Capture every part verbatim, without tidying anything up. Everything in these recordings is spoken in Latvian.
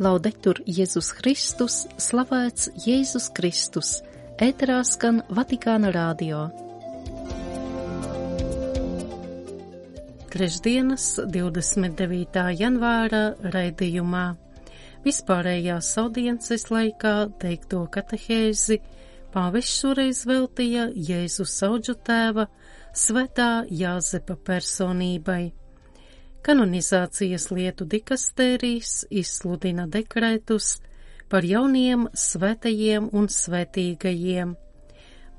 Laudetur Jēzus Kristus, slavēts Jēzus Kristus, ēterā skan Vatikāna radio. Trešdienas, divdesmit devītā janvāra raidījumā vispārējās audiences laikā teikto katehēzi pāvests šoreiz veltīja Jēzus Audžu tēva svētā Jāzepa personībai. Kanonizācijas lietu dikastērijs izsludina dekrētus par jauniem svētajiem un svētīgajiem.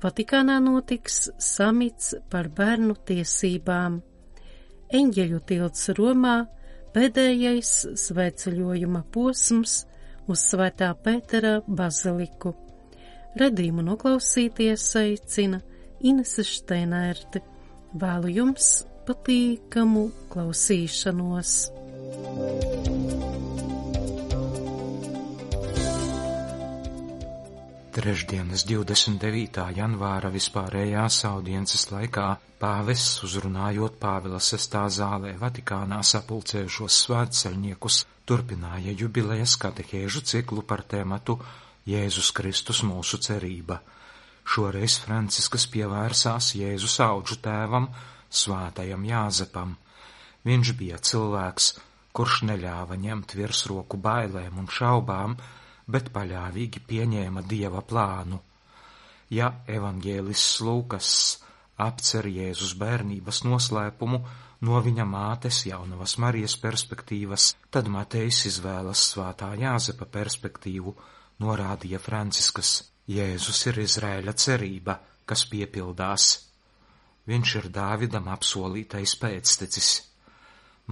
Vatikānā notiks samits par bērnu tiesībām. Eņģeļu tilts Romā pēdējais svētceļojuma posms uz Svētā Pētera baziliku. Redījumu noklausīties aicina Inese Šteinērte. Vēlu jums patīkamu klausīšanos. Trešdienas divdesmit devītā janvāra vispārējās audiences laikā pāvests, uzrunājot Pāvila sestā zālē Vatikānā sapulcējušos svētceļniekus, turpināja jubilejas katehēžu ciklu par tēmatu Jēzus Kristus mūsu cerība. Šoreiz Franciskas pievērsās Jēzus Audžu tēvam, Svētajam Jāzepam. Viņš bija cilvēks, kurš neļāva ņemt virsroku bailēm un šaubām, bet paļāvīgi pieņēma Dieva plānu. Ja evaņģēlists Lūkas apcer Jēzus bērnības noslēpumu no viņa mātes Jaunavas Marijas perspektīvas, tad Matejs izvēlas Svētā Jāzepa perspektīvu, norādīja Franciskas. Jēzus ir Izraēļa cerība, kas piepildās. Viņš ir Dāvidam apsolītais pēctecis.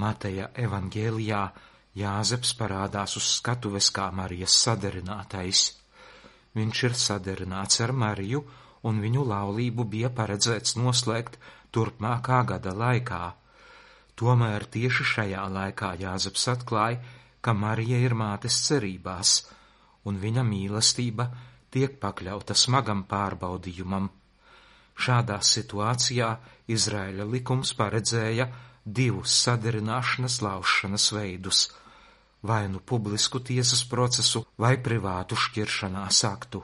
Mateja evaņģēlijā Jāzeps parādās uz skatuves kā Marijas saderinātais. Viņš ir saderināts ar Mariju, un viņu laulību bija paredzēts noslēgt turpmākā gada laikā. Tomēr tieši šajā laikā Jāzeps atklāja, ka Marija ir mātes cerībās, un viņa mīlestība tiek pakļauta smagam pārbaudījumam. Šādā situācijā Izraēļa likums paredzēja divus saderināšanas laušanas veidus, vai nu publisku tiesas procesu, vai privātu šķiršanās aktu.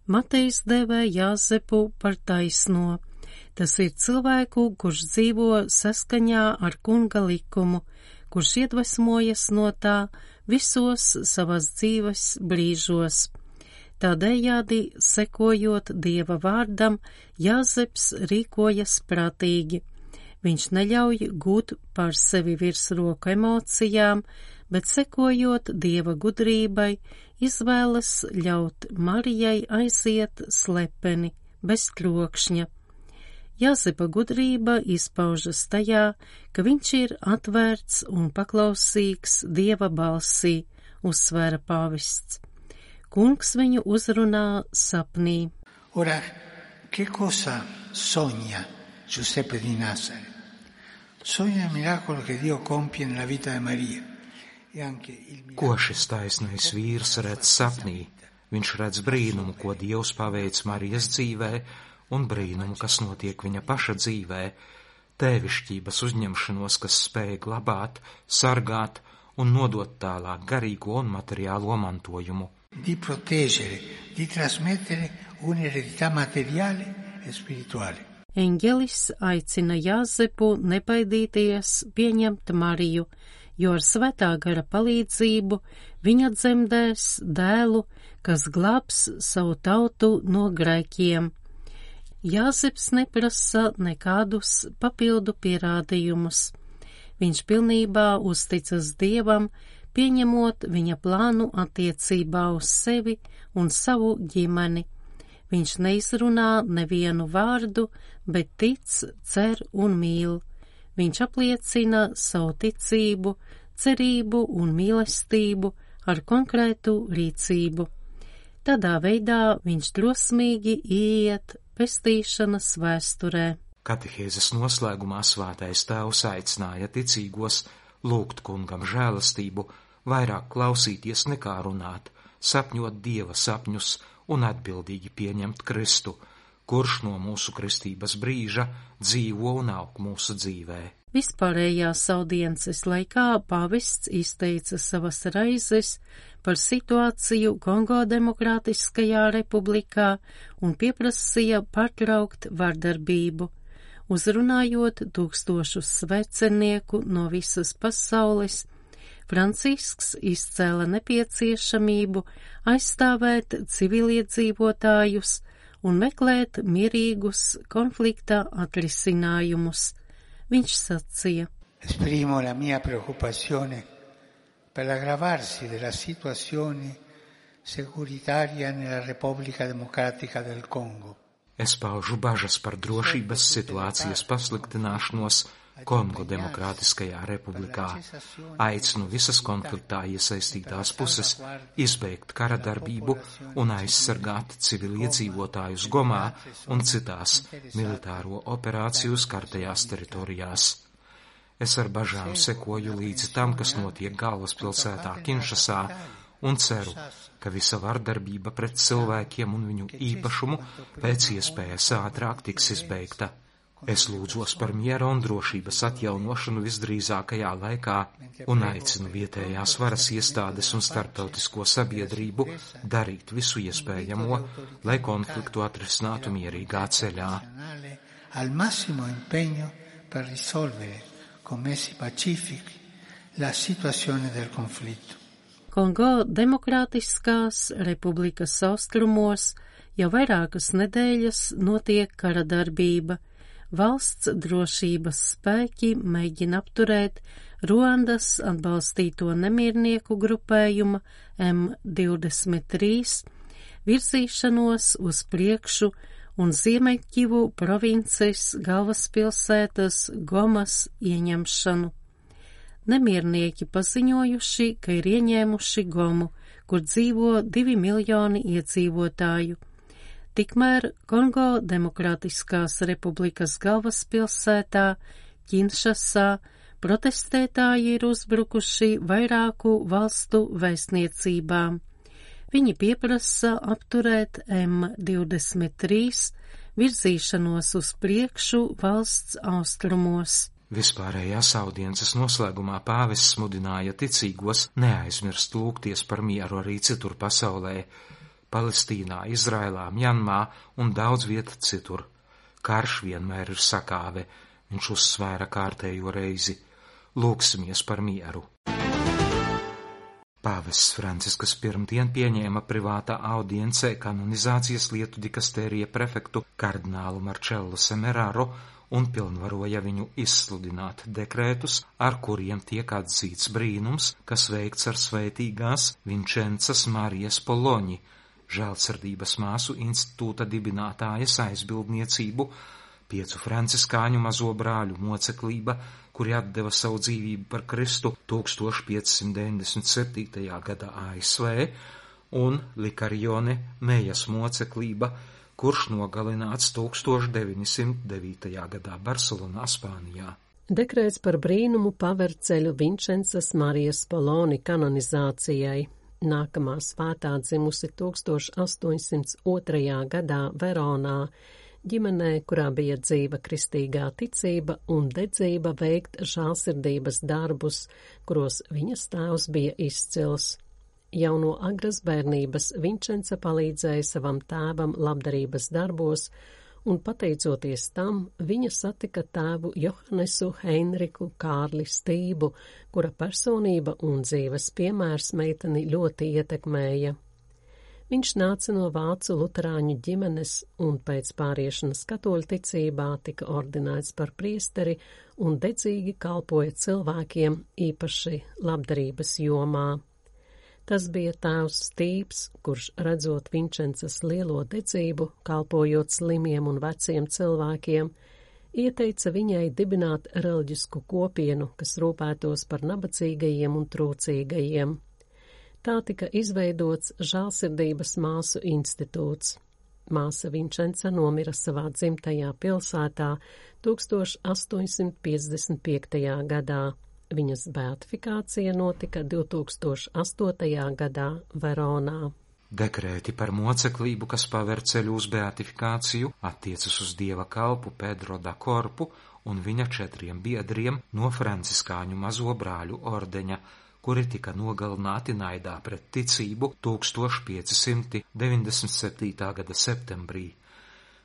Matejs dēvē Jāzepu par taisno. Tas ir cilvēku, kurš dzīvo saskaņā ar kunga likumu, kurš iedvesmojas no tā visos savas dzīves brīžos. Tādējādi, sekojot Dieva vārdam, Jāzeps rīkojas prātīgi. Viņš neļauj gūt pār sevi virsroku emocijām, bet sekojot Dieva gudrībai, izvēlas ļaut Marijai aiziet slepeni, bez trokšņa. Jāzepa gudrība izpaužas tajā, ka viņš ir atvērts un paklausīgs Dieva balsī, uzsvēra pāvests. Kungs viņu uzrunā sapnī. Ora, che cosa sogna Giuseppe di Nazareth? Sogna il miracolo che Dio compie nella vita di Maria. E anche il miracolo... Ko šis taisnais vīrs redz sapnī? Viņš redz brīnumu, ko Dievs paveic Marijas dzīvē, un brīnumu, kas notiek viņa paša dzīvē, tēvišķības uzņemšanos, kas spēj glabāt, sargāt un nodot tālāk garīgo un materiālo mantojumu. Di proteggere, di trasmettere un'eredità materiale e spirituale. Eņģelis aicina Jāzepu nebaidīties pieņemt Mariju, jo ar svētā gara palīdzību viņa dzemdēs dēlu, kas glābs savu tautu no grēkiem. Jāzeps neprasa nekādus papildu pierādījumus. Viņš pilnībā uzticas Dievam, pieņemot viņa plānu attiecībā uz sevi un savu ģimeni. Viņš neizrunā nevienu vārdu, bet tic, cer un mīl. Viņš apliecina savu ticību, cerību un mīlestību ar konkrētu rīcību. Tādā veidā viņš drosmīgi ieiet pestīšanas vēsturē. Katehēzes noslēgumā Svētais Tēvs aicināja ticīgos lūgt kungam žēlastību, vairāk klausīties nekā runāt, sapņot Dieva sapņus un atbildīgi pieņemt Kristu, kurš no mūsu kristības brīža dzīvo un aug mūsu dzīvē. Vispārējās audiences laikā pāvests izteica savas raizes par situāciju Kongo Demokrātiskajā republikā un pieprasīja pārtraukt vardarbību. Uzrunājot tūkstošus svecenieku no visas pasaules, Francisks izcēla nepieciešamību aizstāvēt civiliedzīvotājus un meklēt mierīgus konflikta atrisinājumus. Viņš sacīja: Esprimo la mia preoccupazione per l'aggravarsi della situazione securitaria nella Repubblica Democratica del Congo. Es paužu bažas par drošības situācijas pasliktināšanos Kongo Demokrātiskajā republikā, aicinu visas konfliktā iesaistītās puses izbeigt kara darbību un aizsargāt civiliedzīvotājus Gomā un citās militāro operāciju skartajās teritorijās. Es ar bažām sekoju līdzi tam, kas notiek galvaspilsētā Kinšasā, un ceru, ka visa vardarbība pret cilvēkiem un viņu īpašumu pēc iespējas ātrāk tiks izbeigta. Es lūdzos par miera un drošības atjaunošanu visdrīzākajā laikā un aicinu vietējās varas iestādes un starptautisko sabiedrību darīt visu iespējamo, lai konfliktu atrisinātu mierīgā ceļā. Al massimo impegno per risolvere con mezzi pacifici la situazione del conflitto. Kongo Demokrātiskās republikas austrumos jau vairākas nedēļas notiek kara darbība. Valsts drošības spēki mēģina apturēt Ruandas atbalstīto nemiernieku grupējuma M divdesmit trīs virzīšanos uz priekšu un Ziemeļkivu provinces galvaspilsētas Gomas ieņemšanu. Nemiernieki paziņojuši, ka ir ieņēmuši Gomu, kur dzīvo divi miljoni iedzīvotāju. Tikmēr Kongo Demokrātiskās republikas galvaspilsētā Kinšasā protestētāji ir uzbrukuši vairāku valstu vēstniecībām. Viņi pieprasa apturēt M divdesmit trīs virzīšanos uz priekšu valsts austrumos. Vispārējās audiences noslēgumā pāvests mudināja ticīgos neaizmirst lūgties par mieru arī citur pasaulē, Palestīnā, Izraēlā, Mjanmā un daudz vieta citur. Karš vienmēr ir sakāve, viņš uzsvēra kārtējo reizi. Lūksimies par mieru. Pāvests Francisks pirmdien pieņēma privātā audiencē kanonizācijas lietu dikastērija prefektu kardinālu Marcello Semeraro un pilnvaroja viņu izsludināt dekrētus, ar kuriem tiek atzīts brīnums, kas veikts ar svētīgās Vinčencas Marijas Poloņi, žēlsirdības māsu institūta dibinātājas aizbildniecību, piecu franciskāņu mazo brāļu moceklība, kuri atdeva savu dzīvību par Kristu tūkstoš piecsimt deviņdesmit septītajā gadā A S V, un Likarione Mejas moceklība, kurš nogalināts tūkstoš deviņsimt devītajā gadā Barcelonā, Spānijā. Dekrēts par brīnumu paver ceļu Vinčencas Marijas Poloni kanonizācijai. Nākamā svētā dzimusi tūkstoš astoņsimt otrajā gadā Veronā, ģimenē, kurā bija dzīva kristīgā ticība un dedzība veikt žēlsirdības darbus, kuros viņas tēvs bija izcils. Jau no agras bērnības Vinčence palīdzēja savam tēvam labdarības darbos, un pateicoties tam, viņa satika tēvu Johannesu Heinriku Kārli Stību, kura personība un dzīves piemērs meiteni ļoti ietekmēja. Viņš nāca no vācu luterāņu ģimenes un pēc pāriešanas katoļu ticībā tika ordinēts par priesteri un dedzīgi kalpoja cilvēkiem, īpaši labdarības jomā. Tas bija tēvs Stīps, kurš, redzot Vinčencas lielo dedzību, kalpojot slimiem un veciem cilvēkiem, ieteica viņai dibināt reliģisku kopienu, kas rūpētos par nabadzīgajiem un trūcīgajiem. Tā tika izveidots žēlsirdības māsu institūts. Māsa Vinčenca nomira savā dzimtajā pilsētā tūkstoš astoņsimt piecdesmit piektajā gadā. Viņas beatifikācija notika divtūkstoš astotajā gadā Veronā. Dekrēti par moceklību, kas paver ceļu uz beatifikāciju, attiecas uz dieva kalpu Pedro da Corpu un viņa četriem biedriem no franciskāņu mazo brāļu ordeņa, kuri tika nogalināti naidā pret ticību tūkstoš pieci simti deviņdesmit septītā gada septembrī.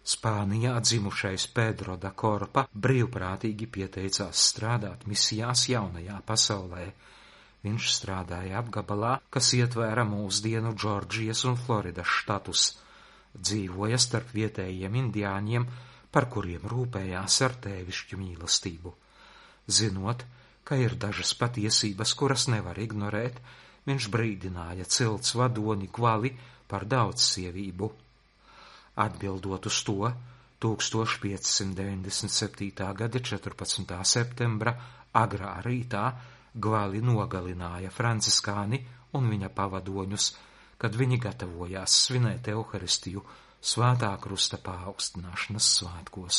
Spānijā dzimušais Pedro da Korpa brīvprātīgi pieteicās strādāt misijās jaunajā pasaulē. Viņš strādāja apgabalā, kas ietvēra mūsdienu Džordžijas un Floridas štatus. Dzīvoja starp vietējiem indiāņiem, par kuriem rūpējās ar tēvišķu mīlestību. Zinot, ka ir dažas patiesības, kuras nevar ignorēt, viņš brīdināja cilts vadoni Gvali par daudzsievību. Atbildot uz to, tūkstoš pieci simti deviņdesmit septītā gada četrpadsmitā septembra agrā rītā Gvali nogalināja franciskāni un viņa pavadoņus, kad viņi gatavojās svinēt Euharistiju Svētā krusta paaugstināšanas svētkos.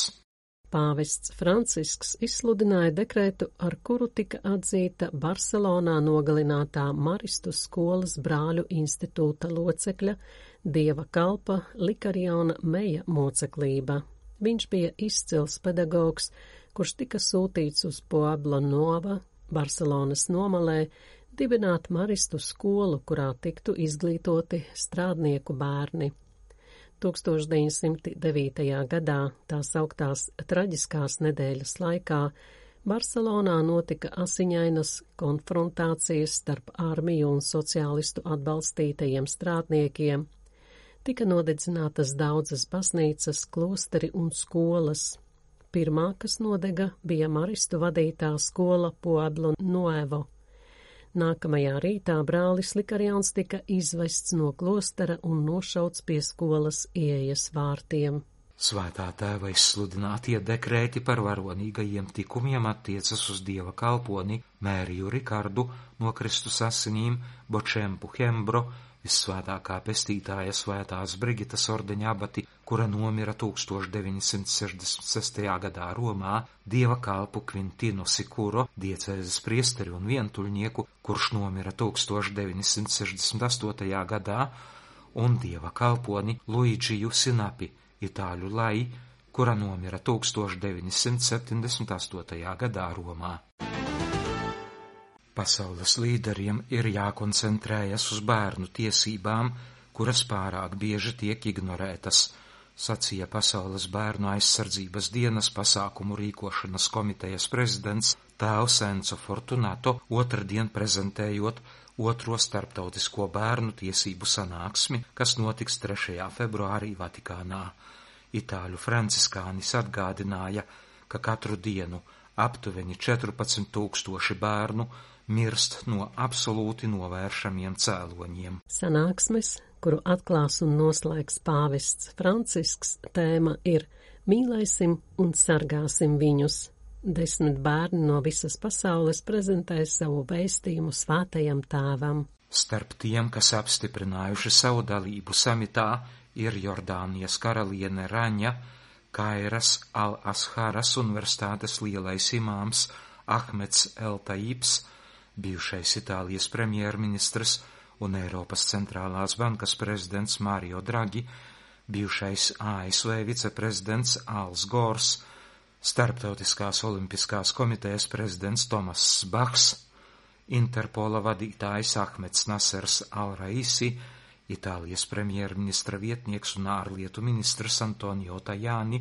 Pāvests Francisks izsludināja dekrētu, ar kuru tika atzīta Barcelonā nogalinātā Maristu skolas brāļu institūta locekļa Dieva kalpa Likariona Meja moceklība. Viņš bija izcils pedagogs, kurš tika sūtīts uz Puebla Nova, Barcelonas nomalē, dibināt Maristu skolu, kurā tiktu izglītoti strādnieku bērni. tūkstoš deviņsimt devītajā gadā, tās augtās traģiskās nedēļas laikā, Barcelonā notika asiņainas konfrontācijas starp armiju un sociālistu atbalstītajiem strādniekiem. Tika nodedzinātas daudzas baznīcas, klosteri un skolas. Pirmā, kas nodega, bija Maristu vadītā skola Pueblo Nuevo. Nākamajā rītā brālis Likarions tika izvests no klostera un nošauts pie skolas ieejas vārtiem. Svētā tēva izsludinātie dekrēti par varonīgajiem tikumiem attiecas uz Dieva kalponi Mēriju Rikardu no Kristus asinīm, Bočempu Hembro, vissvētākā pestītāja Svētās Brigitas ordeņa abati, kura nomira tūkstoš deviņsimt sešdesmit sestajā gadā Romā, Dieva kalpu Kvintinu Sikuro, diecēzes priesteri un vientuļnieku, kurš nomira tūkstoš deviņsimt sešdesmit astotajā gadā, un Dieva kalponi Luidžiju Sinapi, itāļu lai, kura nomira tūkstoš deviņsimt septiņdesmit astotajā gadā Romā. Pasaules līderiem ir jākoncentrējas uz bērnu tiesībām, kuras pārāk bieži tiek ignorētas, sacīja Pasaules bērnu aizsardzības dienas pasākumu rīkošanas komitejas prezidents tēvs Enzo Fortunato otrdien prezentējot otro starptautisko bērnu tiesību sanāksmi, kas notiks trešajā februārī Vatikānā. Itāļu franciskānis atgādināja, ka katru dienu aptuveni četrpadsmit tūkstoši bērnu mirst no absolūti novēršamiem cēloņiem. Sanāksmes, kuru atklās un noslēgs pāvests Francisks, tēma ir Mīlēsim un sargāsim viņus. Desmit bērni no visas pasaules prezentē savu vēstījumu svētajam tēvam. Starp tiem, kas apstiprinājuši savu dalību samitā, ir Jordānijas karaliene Raņa, Kairas Al-Asharas universitātes lielais imāms Ahmeds El-Taibs, bijušais Itālijas premjerministrs un Eiropas centrālās bankas prezidents Mario Draghi, bijušais A S V viceprezidents Als Gors, Starptautiskās olimpiskās komitejas prezidents Tomass Bachs, Interpola vadītājs Ahmeds Nasers Al-Raisi, Itālijas premjerministra vietnieks un ārlietu ministrs Antonio Tajani,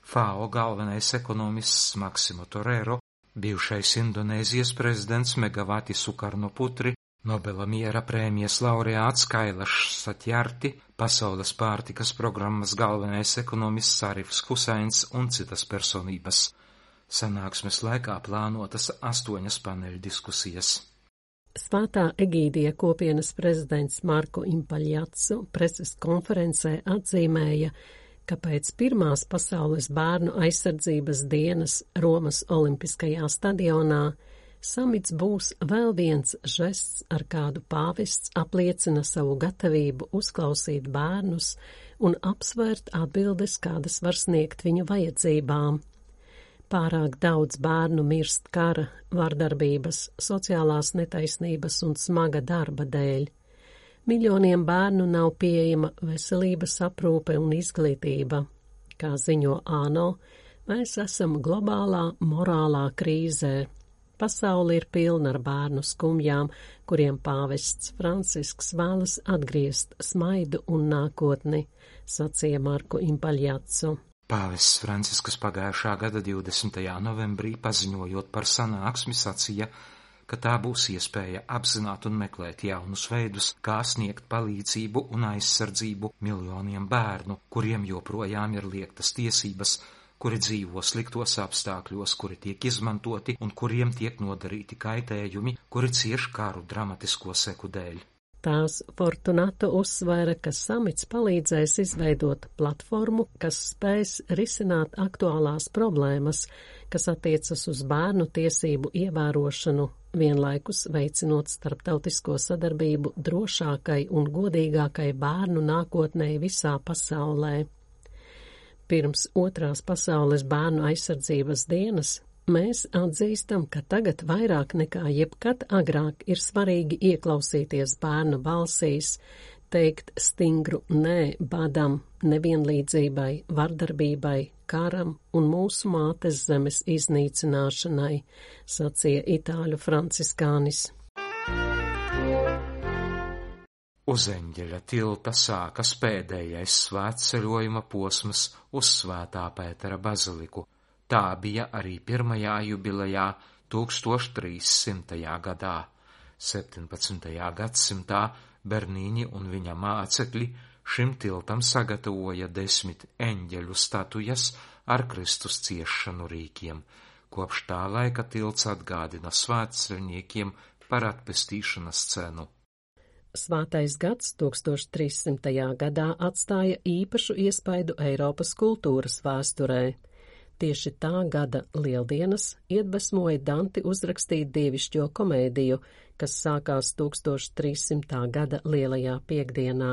F A O galvenais ekonomists Maksimo Torero, bijušais Indonēzijas prezidents Megawati Sukarnoputri, Nobela miera prēmijas laureāts Kailašs Satjarti, Pasaules pārtikas programmas galvenais ekonomists Arifs Husains un citas personības. Sanāksmes laikā plānotas astoņas paneļu diskusijas. Svētā Egīdija kopienas prezidents Marko Impaļjatsu preses konferencē atzīmēja, ka pēc pirmās pasaules bērnu aizsardzības dienas Romas Olimpiskajā stadionā samits būs vēl viens žests, ar kādu pāvests apliecina savu gatavību uzklausīt bērnus un apsvērt atbildes, kādas var sniegt viņu vajadzībām. Pārāk daudz bērnu mirst kara, vardarbības, sociālās netaisnības un smaga darba dēļ. Miljoniem bērnu nav pieejama veselības aprūpe un izglītība. Kā ziņo ANO, mēs esam globālā morālā krīzē. Pasaule ir pilna ar bērnu skumjām, kuriem pāvests Francisks vēlas atgriezt smaidu un nākotni, sacīja Marko Impaļjācu. Pāvests Francisks pagājušā gada divdesmitajā novembrī paziņojot par sanāksmi sacīja, ka tā būs iespēja apzināt un meklēt jaunus veidus, kā sniegt palīdzību un aizsardzību miljoniem bērnu, kuriem joprojām ir liektas tiesības, kuri dzīvo sliktos apstākļos, kuri tiek izmantoti un kuriem tiek nodarīti kaitējumi, kuri cieš karu dramatisko seku dēļ. Tās Fortunato uzsvēra, ka samits palīdzēs izveidot platformu, kas spēs risināt aktuālās problēmas, kas attiecas uz bērnu tiesību ievērošanu, vienlaikus veicinot starptautisko sadarbību drošākai un godīgākai bērnu nākotnē visā pasaulē. Pirms otrās pasaules bērnu aizsardzības dienas mēs atzīstam, ka tagad vairāk nekā jebkad agrāk ir svarīgi ieklausīties bērnu balsīs, teikt stingru nē badam, nevienlīdzībai, vardarbībai, karam un mūsu mātes zemes iznīcināšanai, sacīja itāļu franciskānis. Uz eņģeļa tilta sākas pēdējais svētceļojuma posms uz Svētā Pētera baziliku. Tā bija arī pirmajā jubilejā tūkstoš trīssimtajā gadā. septiņpadsmitajā gadsimtā Bernīni un viņa mācekļi šim tiltam sagatavoja desmit eņģeļu statujas ar Kristus ciešanu rīkiem. Kopš tā laika tilts atgādina svētceļniekiem par atpestīšanas cenu. Svētais gads tūkstoš trīssimtajā gadā atstāja īpašu iespaidu Eiropas kultūras vēsturē. Tieši tā gada lieldienas iedvesmoja Danti uzrakstīt dievišķo komēdiju, kas sākās tūkstoš trīssimtā gada lielajā piekdienā.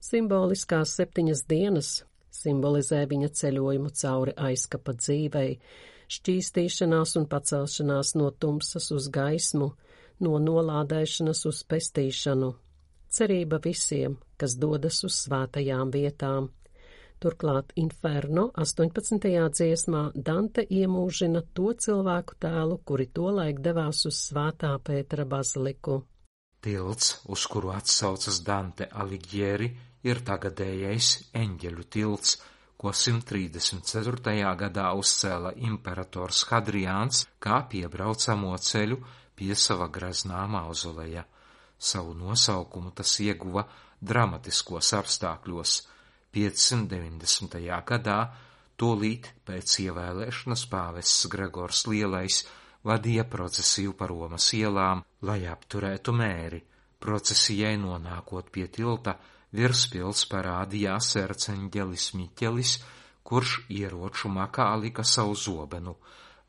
Simboliskās septiņas dienas simbolizē viņa ceļojumu cauri aizkapa dzīvei, šķīstīšanās un pacelšanās no tumsas uz gaismu, no nolādēšanas uz pestīšanu, cerība visiem, kas dodas uz svētajām vietām. Turklāt Inferno astoņpadsmitajā dziesmā Dante iemūžina to cilvēku tēlu, kuri tolaik devās uz Svētā Pētera baziliku. Tilts, uz kuru atsaucas Dante Alighieri, ir tagadējais eņģeļu tilts, ko simt trīsdesmit ceturtajā gadā uzcēla imperators Hadriāns kā piebraucamo ceļu pie sava graznā mauzoleja. Savu nosaukumu tas ieguva dramatiskos apstākļos. piecsimt deviņdesmitajā gadā, tūlīt pēc ievēlēšanas pāvests Gregors Lielais vadīja procesiju pa Romas ielām, lai apturētu mēri. Procesijai nonākot pie tilta, virs pils parādījās erceņģelis Miķelis, kurš ieroču makā lika savu zobenu,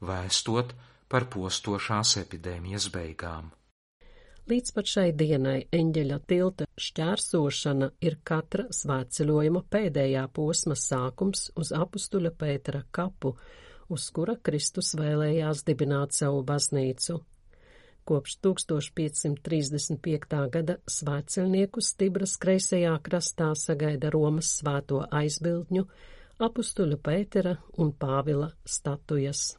vēstot par postošās epidēmijas beigām. Līdz pat šai dienai eņģeļa tilta šķērsošana ir katra svētceļojuma pēdējā posma sākums uz apustuļa Pētera kapu, uz kura Kristus vēlējās dibināt savu baznīcu. Kopš tūkstoš piecsimt trīsdesmit piektā gada svētceļniekus Tibras kreisajā krastā sagaida Romas svēto aizbildņu, apustuļu Pētera un Pāvila statujas.